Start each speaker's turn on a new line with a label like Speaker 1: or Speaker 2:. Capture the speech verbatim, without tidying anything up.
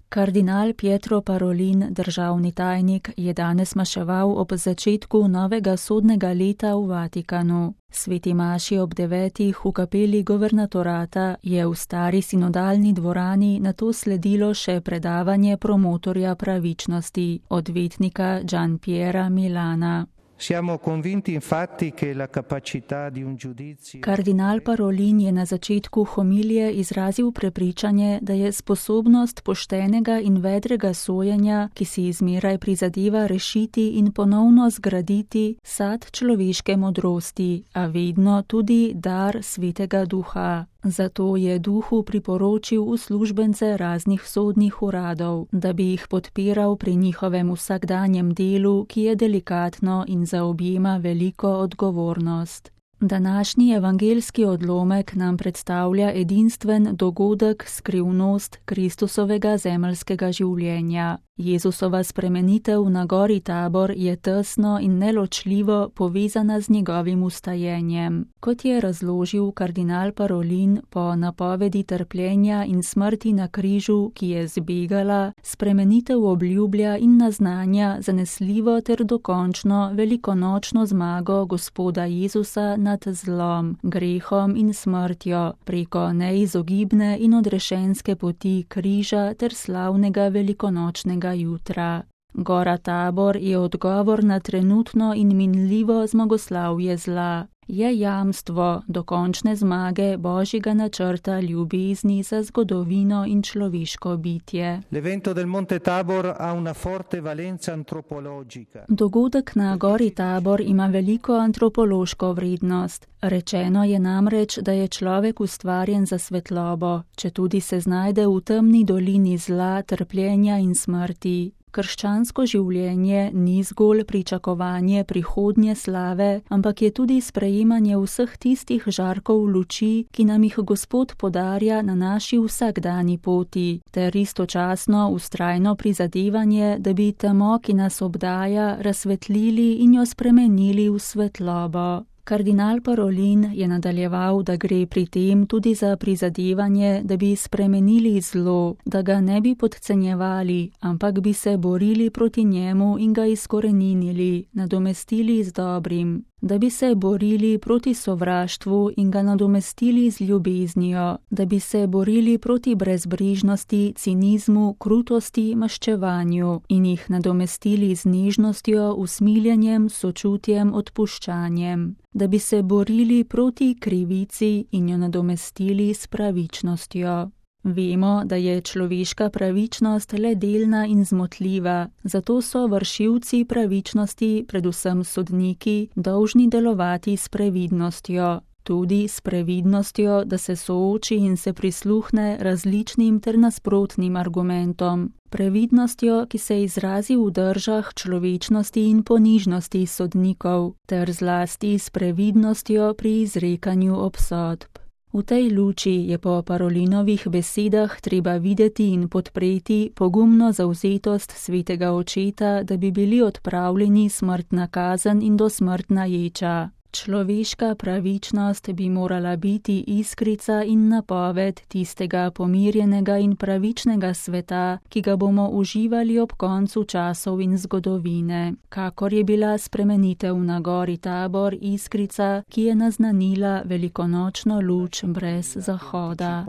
Speaker 1: Kardinal Pietro Parolin, državni tajnik, je danes maševal ob začetku novega sodnega leta v Vatikanu. Sveti maši ob devetih v kapeli guvernatorata je v stari sinodalni dvorani nato sledilo še predavanje promotorja pravičnosti, odvetnika Gianpiera Milana.
Speaker 2: Siamo convinti infatti che la capacità di un giudizio.
Speaker 1: Kardinal Parolin je na začetku homilije izrazil prepričanje, da je sposobnost poštenega in vedrega sojenja, ki si izmeraj prizadeva rešiti in ponovno zgraditi, sad človeške modrosti, a vedno tudi dar Svetega Duha. Zato je duhu priporočil uslužbence raznih sodnih uradov, da bi jih podpiral pri njihovem vsakdanjem delu, ki je delikatno in zaobjema veliko odgovornost. Današnji evangeljski odlomek nam predstavlja edinstven dogodek, skrivnost Kristusovega zemeljskega življenja. Jezusova spremenitev na gori Tabor je tesno in neločljivo povezana z njegovim ustajenjem. Kot je razložil kardinal Parolin, po napovedi trpljenja in smrti na križu, ki je zbegala, spremenitev obljublja in naznanja zanesljivo ter dokončno velikonočno zmago Gospoda Jezusa nad zlom, grehom in smrtjo preko neizogibne in odrešenske poti križa ter slavnega velikonočnega jutra. Gora Tabor je odgovor na trenutno in minljivo zmagoslavje zla. Je jamstvo dokončne zmage Božjega načrta ljubezni za zgodovino in človeško bitje.
Speaker 2: L'evento del Monte Tabor ha una forte valenza antropologica.
Speaker 1: Dogodek na gori Tabor ima veliko antropološko vrednost. Rečeno je namreč, da je človek ustvarjen za svetlobo, četudi se znajde v temni dolini zla, trpljenja in smrti. Krščansko življenje ni zgolj pričakovanje prihodnje slave, ampak je tudi sprejemanje vseh tistih žarkov luči, ki nam jih Gospod podarja na naši vsakdani poti, ter istočasno vztrajno prizadevanje, da bi temo, ki nas obdaja, razsvetlili in jo spremenili v svetlobo. Kardinal Parolin je nadaljeval, da gre pri tem tudi za prizadevanje, da bi spremenili zlo, da ga ne bi podcenjevali, ampak bi se borili proti njemu in ga izkoreninili, nadomestili z dobrim. Da bi se borili proti sovraštvu in ga nadomestili z ljubeznijo, da bi se borili proti brezbrižnosti, cinizmu, krutosti, maščevanju in jih nadomestili z nežnostjo, usmiljenjem, sočutjem, odpuščanjem, da bi se borili proti krivici in jo nadomestili s pravičnostjo. Vemo, da je človeška pravičnost le delna in zmotljiva, zato so vršilci pravičnosti, predvsem sodniki, dolžni delovati s previdnostjo. Tudi s previdnostjo, da se sooči in se prisluhne različnim ter nasprotnim argumentom. Previdnostjo, ki se izrazi v držah človečnosti in ponižnosti sodnikov, ter zlasti s previdnostjo pri izrekanju obsodb. V tej luči je po Parolinovih besedah treba videti in podpreti pogumno zavzetost svetega očeta, da bi bili odpravljeni smrtna kazen in dosmrtna ječa. Človeška pravičnost bi morala biti iskrica in napoved tistega pomirjenega in pravičnega sveta, ki ga bomo uživali ob koncu časov in zgodovine, kakor je bila spremenitev na gori Tabor iskrica, ki je naznanila velikonočno luč brez zahoda.